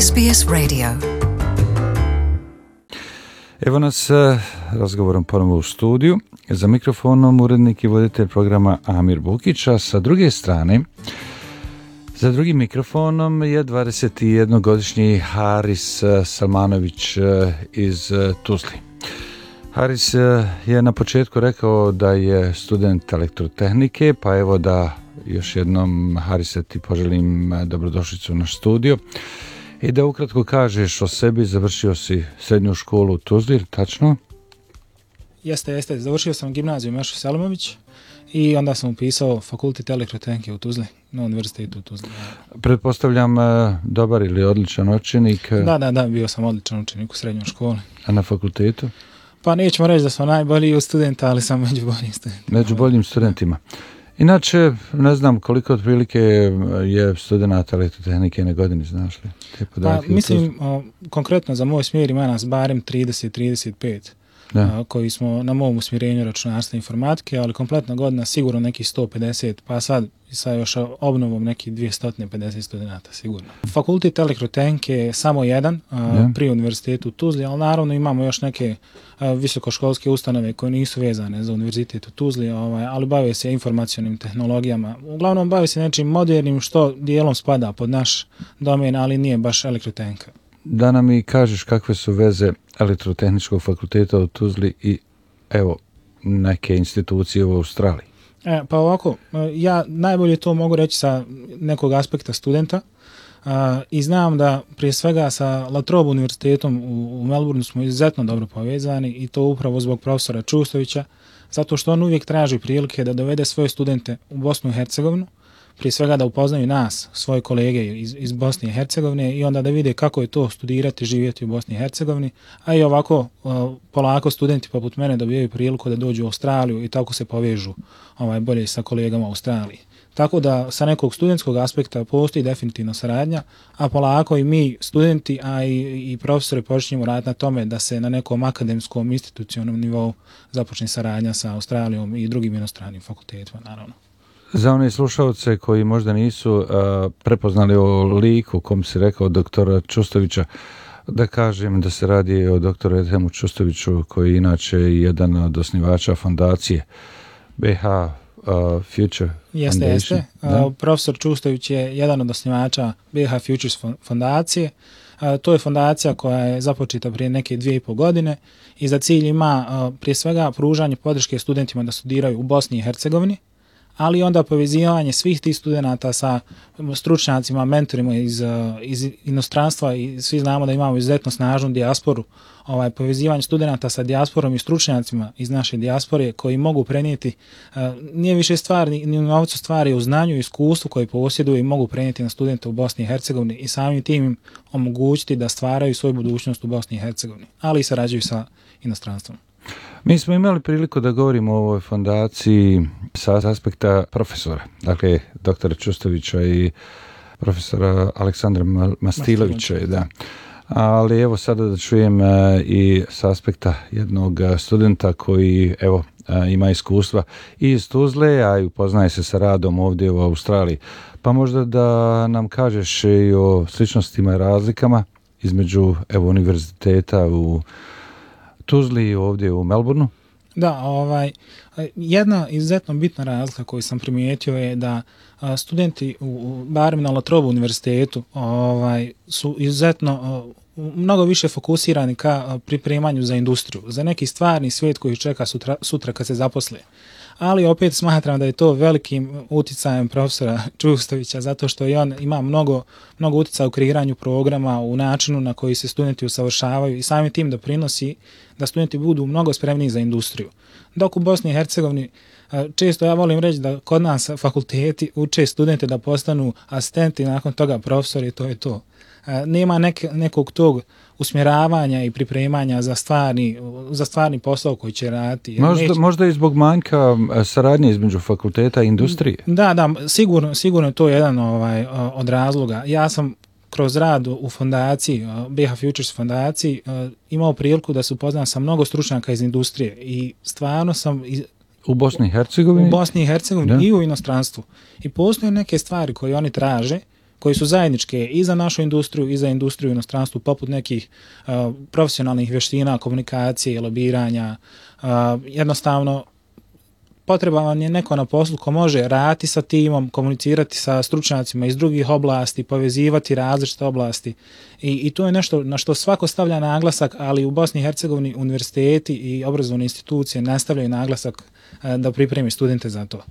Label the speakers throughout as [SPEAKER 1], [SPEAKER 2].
[SPEAKER 1] SBS Radio.
[SPEAKER 2] Evo nas razgovorom ponovo u studiju. Za mikrofonom urednik i voditelj programa Amir Bukić, a sa druge strane, za drugim mikrofonom je 21-godišnji Haris Salmanović iz Tuzli. Haris je na početku rekao da je student elektrotehnike, pa evo da još jednom, Harise, ti poželim dobrodošlicu u naš studio i da ukratko kažeš o sebi. Završio si srednju školu u Tuzli, tačno?
[SPEAKER 3] Jeste. Završio sam gimnaziju Mešo Selimović i onda sam upisao fakultet elektrotehnike u Tuzli, na univerzitetu u Tuzli.
[SPEAKER 2] Pretpostavljam dobar ili odličan učenik?
[SPEAKER 3] Da, bio sam odličan učenik u srednjoj školi.
[SPEAKER 2] A na fakultetu?
[SPEAKER 3] Pa nećemo reći da sam najbolji od studenta, ali sam među boljim studentima.
[SPEAKER 2] Među boljim studentima. Inače, ne znam koliko otprilike je studenata elektrotehnike na godini, znaš li?
[SPEAKER 3] Pa, mislim, konkretno za moj smjer ima nas barem 30-35 koji smo na mom usmjerenju računarstva i informatike, ali kompletna godina sigurno nekih 150, pa sad sa još obnovom nekih 250 studenata sigurno. Fakultet elektrotehnike je samo jedan pri univerzitetu u Tuzli, ali naravno imamo još neke visokoškolske ustanove koje nisu vezane za univerzitet u Tuzli, ali bave se informacionim tehnologijama. Uglavnom bave se nečim modernim što dijelom spada pod naš domen, ali nije baš elektrotehnika.
[SPEAKER 2] Da nam i kažeš kakve su veze elektrotehničkog fakulteta u Tuzli i evo neke institucije u Australiji.
[SPEAKER 3] Pa ovako, ja najbolje to mogu reći sa nekog aspekta studenta i znam da prije svega sa La Trobe univerzitetom u Melbourneu smo izuzetno dobro povezani i to upravo zbog profesora Čustovića, zato što on uvijek traži prilike da dovede svoje studente u Bosnu i Hercegovinu, prije svega da upoznaju nas, svoje kolege iz Bosne i Hercegovine i onda da vide kako je to studirati, živjeti u Bosni i Hercegovini, a i ovako polako studenti poput mene dobijaju priliku da dođu u Australiju i tako se povežu bolje sa kolegama u Australiji. Tako da sa nekog studentskog aspekta postoji definitivno saradnja, a polako i mi studenti, a i profesori počinjemo raditi na tome da se na nekom akademskom institucionalnom nivou započne saradnja sa Australijom i drugim inostranim fakultetima, naravno.
[SPEAKER 2] Za one slušalce koji možda nisu prepoznali o liku, kom si rekao, doktora Čustovića, da kažem da se radi o doktoru Edhemu Čustoviću, koji je inače jedan od osnivača fondacije BH Future Foundation.
[SPEAKER 3] Jeste. Profesor Čustović je jedan od osnivača BH Futures fondacije. To je fondacija koja je započeta prije neke 2,5 godine i za cilj ima prije svega pružanje podrške studentima da studiraju u Bosni i Hercegovini, ali onda povezivanje svih tih studenata sa stručnjacima, mentorima iz inostranstva i svi znamo da imamo izuzetno snažnu dijasporu, povezivanje studenata sa dijasporom i stručnjacima iz naše dijaspore koji mogu prenijeti, nije više stvar ni u novcu, stvari u znanju i iskustvu koje posjeduju i mogu prenijeti na studente u Bosni i Hercegovini i samim tim im omogućiti da stvaraju svoju budućnost u Bosni i Hercegovini, ali i sarađuju sa inostranstvom.
[SPEAKER 2] Mi smo imali priliku da govorimo o ovoj fondaciji sa aspekta profesora, dakle doktora Čustovića i profesora Aleksandra Mastilovića. Da. Ali evo sada da čujem i sa aspekta jednog studenta koji evo ima iskustva i iz Tuzle, a i upoznaje se sa radom ovdje u Australiji. Pa možda da nam kažeš i o sličnostima i razlikama između evo univerziteta u Tuzli i ovdje u Melbourneu?
[SPEAKER 3] Da, jedna izuzetno bitna razlika koju sam primijetio je da studenti barem na La Trobe univerzitetu su izuzetno mnogo više fokusirani ka pripremanju za industriju, za neki stvarni svijet koji čeka sutra kad se zaposle. Ali opet smatram da je to velikim uticajem profesora Čustovića, zato što i on ima mnogo uticaja u kreiranju programa, u načinu na koji se studenti usavršavaju i samim tim doprinosi da studenti budu mnogo spremniji za industriju. Dok u Bosni i Hercegovini često ja volim reći da kod nas fakulteti uče studente da postanu asistenti, nakon toga profesori, to je to. Nema nekog tog usmjeravanja i pripremanja za stvarni posao koji će raditi.
[SPEAKER 2] Možda i zbog manjka saradnje između fakulteta i industrije.
[SPEAKER 3] Da, sigurno je to jedan od razloga. Ja sam kroz rad u fondaciji, BH Futures fondaciji, imao priliku da se upoznam sa mnogo stručnjaka iz industrije i stvarno sam
[SPEAKER 2] u Bosni i Hercegovini?
[SPEAKER 3] U Bosni i Hercegovini i u inostranstvu. I postoje neke stvari koje oni traže koje su zajedničke i za našu industriju i za industriju u inostranstvu, poput nekih profesionalnih vještina, komunikacije, lobiranja. Jednostavno, potreban vam je neko na poslu ko može raditi sa timom, komunicirati sa stručnjacima iz drugih oblasti, povezivati različite oblasti. I to je nešto na što svako stavlja naglasak, ali u Bosni i Hercegovini univerziteti i obrazovne institucije nastavljaju naglasak da pripremi studente za to.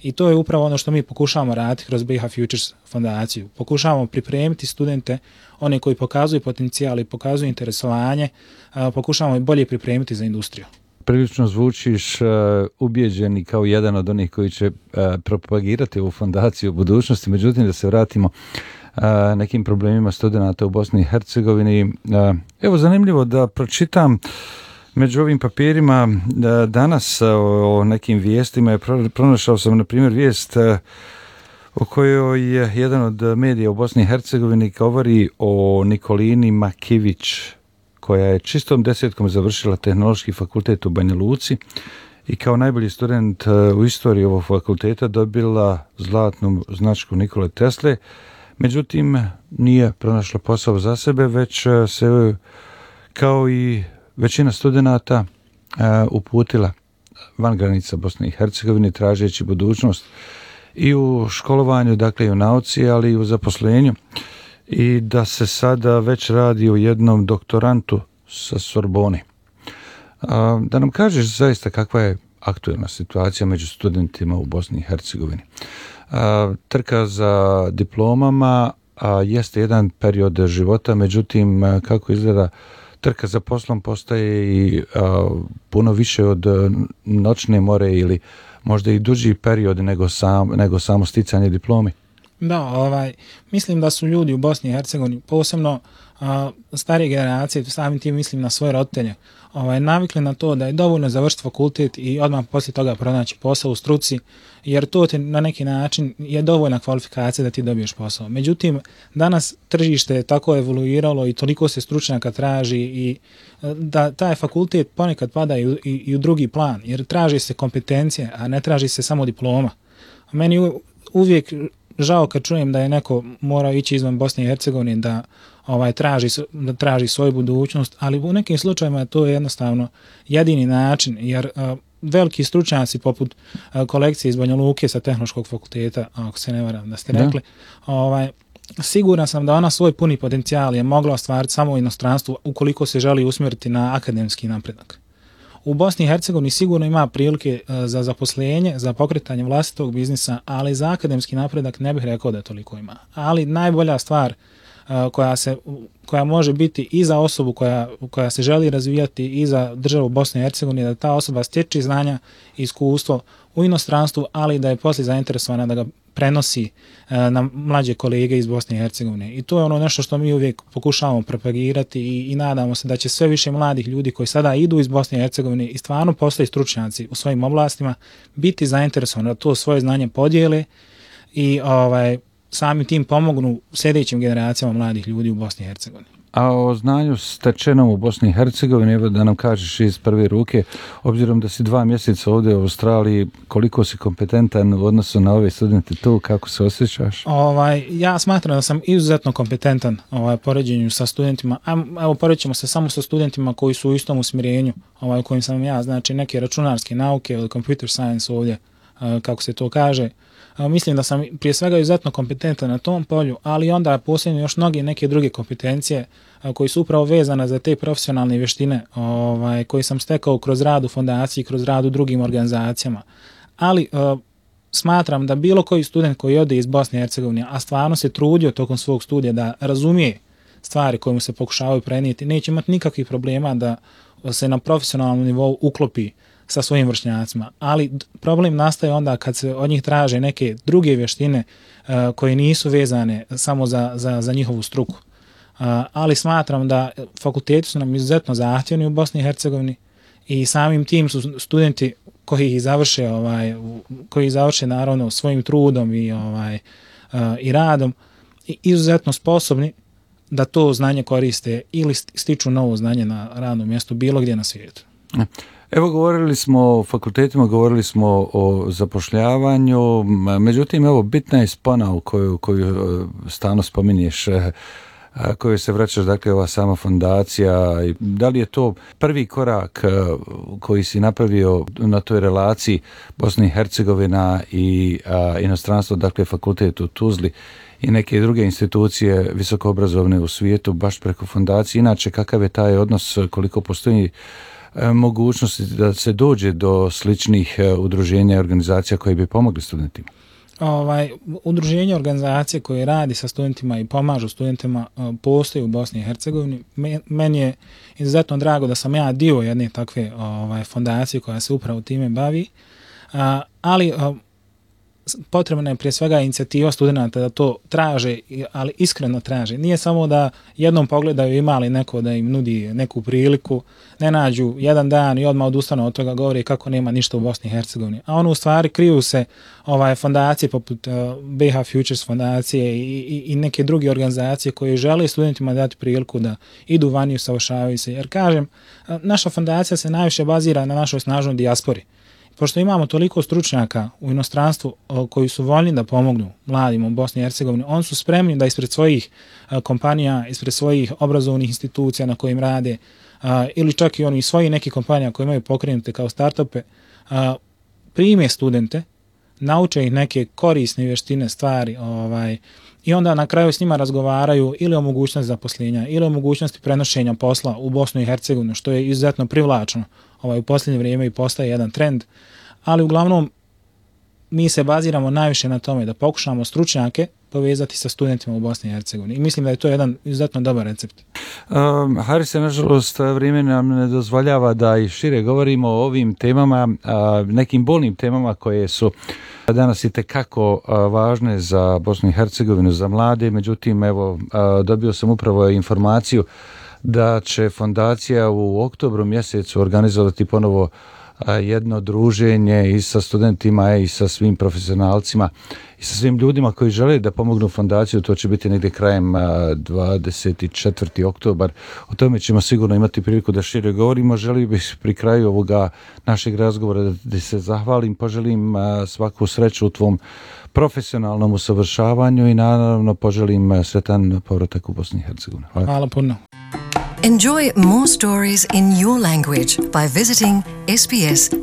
[SPEAKER 3] I to je upravo ono što mi pokušavamo raditi kroz BiH Futures fondaciju. Pokušavamo pripremiti studente, one koji pokazuju potencijal i pokazuju interesovanje, pokušavamo i bolje pripremiti za industriju.
[SPEAKER 2] Prilično zvučiš ubijeđeni kao jedan od onih koji će propagirati ovu fondaciju u budućnosti, međutim da se vratimo nekim problemima studenata u Bosni i Hercegovini. Evo, zanimljivo da pročitam među ovim papirima danas o nekim vijestima. Pronašao sam, na primjer, vijest u kojoj je jedan od medija u Bosni i Hercegovini govori o Nikolini Makivić, koja je čistom desetkom završila Tehnološki fakultet u Banja Luci i kao najbolji student u istoriji ovog fakulteta dobila zlatnu značku Nikole Tesle. Međutim, nije pronašla posao za sebe, već se, kao i većina studenata, uputila van granica Bosne i Hercegovine tražeći budućnost i u školovanju, dakle i u nauci, ali i u zaposlenju. I da se sada već radi o jednom doktorantu sa Sorbone. Da nam kažeš zaista kakva je aktualna situacija među studentima u Bosni i Hercegovini. Trka za diplomama jeste jedan period života, međutim kako izgleda trka za poslom postaje i puno više od noćne more ili možda i duži period nego samo sticanje diplome.
[SPEAKER 3] Da, mislim da su ljudi u Bosni i Hercegovini, posebno starije generacije, samim tim mislim na svoje roditelje, navikli na to da je dovoljno završiti fakultet i odmah poslije toga pronaći posao u struci, jer to ti na neki način je dovoljna kvalifikacija da ti dobiješ posao. Međutim, danas tržište je tako evoluiralo i toliko se stručnjaka traži i da taj fakultet ponekad pada i u drugi plan, jer traži se kompetencije, a ne traži se samo diploma. Meni uvijek žao kad čujem da je neko morao ići izvan Bosne i Hercegovine da traži svoju budućnost, ali u nekim slučajevima to je jednostavno jedini način, jer veliki stručnjaci poput kolekcije iz Banja Luke sa Tehnološkog fakulteta, ako se ne varam da ste rekli, siguran sam da ona svoj puni potencijal je mogla ostvariti samo u inostranstvu ukoliko se želi usmjeriti na akademski napredak. U Bosni i Hercegovini sigurno ima prilike za zaposlenje, za pokretanje vlastitog biznisa, ali za akademski napredak ne bih rekao da toliko ima. Ali najbolja stvar koja može biti i za osobu koja se želi razvijati i za državu Bosne i Hercegovine, da ta osoba stječi znanja i iskustvo u inostranstvu, ali da je poslije zainteresovana da ga prenosi na mlađe kolege iz Bosne i Hercegovine. I to je ono nešto što mi uvijek pokušavamo propagirati i nadamo se da će sve više mladih ljudi koji sada idu iz Bosne i Hercegovine i stvarno postaju stručnjaci u svojim oblastima biti zainteresovani da to svoje znanje podijele i sami tim pomognu sljedećim generacijama mladih ljudi u Bosni i Hercegovini.
[SPEAKER 2] A o znanju stečenom u Bosni i Hercegovini, evo da nam kažeš iz prve ruke, obzirom da si 2 mjeseca ovdje u Australiji, koliko si kompetentan u odnosu na ove studente tu, kako se osjećaš?
[SPEAKER 3] Ja smatram da sam izuzetno kompetentan poređenju sa studentima. Evo, poređemo se samo sa studentima koji su u istom usmjerenju u kojim sam ja, znači neke računarske nauke ili computer science ovdje, kako se to kaže. Mislim da sam prije svega izuzetno kompetentan na tom polju, ali onda posljedno još mnoge neke druge kompetencije koji su upravo vezane za te profesionalne vještine koji sam stekao kroz rad u fondaciji, kroz rad u drugim organizacijama. Ali smatram da bilo koji student koji ode iz Bosne i Hercegovine, a stvarno se trudio tokom svog studija da razumije stvari koje mu se pokušavaju prenijeti, neće imati nikakvih problema da se na profesionalnom nivou uklopi sa svojim vršnjacima, ali problem nastaje onda kad se od njih traže neke druge vještine koje nisu vezane samo za njihovu struku. Ali smatram da fakulteti su nam izuzetno zahtjevni u Bosni i Hercegovini i samim tim su studenti koji ih završe naravno svojim trudom i radom izuzetno sposobni da to znanje koriste ili stiču novo znanje na radnom mjestu bilo gdje na svijetu.
[SPEAKER 2] Evo, govorili smo o fakultetima, govorili smo o zapošljavanju, međutim, evo, bitna je spona koju stalno spominješ, koju se vraćaš, dakle, ova sama fondacija. Da li je to prvi korak koji si napravio na toj relaciji Bosna i Hercegovina i inostranstvo, dakle, fakultet u Tuzli i neke druge institucije visokoobrazovne u svijetu, baš preko fondacije? Inače, kakav je taj odnos, koliko postoji mogućnosti da se dođe do sličnih udruženja i organizacija koje bi pomogli studentima?
[SPEAKER 3] Udruženje organizacije koje radi sa studentima i pomažu studentima postoji u Bosni i Hercegovini. Meni je izuzetno drago da sam ja dio jedne takve fondacije koja se upravo time bavi, ali potrebna je prije svega inicijativa studenata da to traže, ali iskreno traže. Nije samo da jednom pogledaju ima li neko da im nudi neku priliku, ne nađu jedan dan i odmah odustanu od toga, govori kako nema ništa u Bosni i Hercegovini. A ono u stvari kriju se fondacije poput BiH Futures fondacije i neke druge organizacije koje žele studentima dati priliku da idu vani i usavršavaju se. Jer kažem, naša fondacija se najviše bazira na našoj snažnoj dijaspori. Pošto imamo toliko stručnjaka u inostranstvu koji su voljni da pomognu mladima u Bosni i Hercegovini, oni su spremni da ispred svojih kompanija, ispred svojih obrazovnih institucija na kojim rade, ili čak i oni svojih nekih kompanija koje imaju pokrenute kao startupe, prime studente, nauče ih neke korisne vještine, stvari, i onda na kraju s njima razgovaraju ili o mogućnosti zaposlenja, ili o mogućnosti prenošenja posla u Bosnu i Hercegovinu, što je izuzetno privlačno u posljednje vrijeme i postaje jedan trend. Ali uglavnom mi se baziramo najviše na tome da pokušamo stručnjake povezati sa studentima u Bosni i Hercegovini. I mislim da je to jedan izuzetno dobar recept.
[SPEAKER 2] Harise, nažalost, vrijeme nam ne dozvoljava da i šire govorimo o ovim temama, nekim bolnim temama koje su danas itekako važne za Bosnu i Hercegovinu, za mlade. Međutim, evo, dobio sam upravo informaciju da će fondacija u oktobru mjesecu organizovati ponovo jedno druženje i sa studentima i sa svim profesionalcima i sa svim ljudima koji žele da pomognu fondaciju. To će biti negdje krajem 24. oktobar. O tome ćemo sigurno imati priliku da šire govorimo. Želio bih pri kraju ovoga našeg razgovora da se zahvalim, poželim svaku sreću u tvom profesionalnom usavršavanju i naravno poželim sretan povratak u Bosni i Hercegovini.
[SPEAKER 3] Hvala puno.
[SPEAKER 1] Enjoy more stories in your language by visiting sbs.com.au.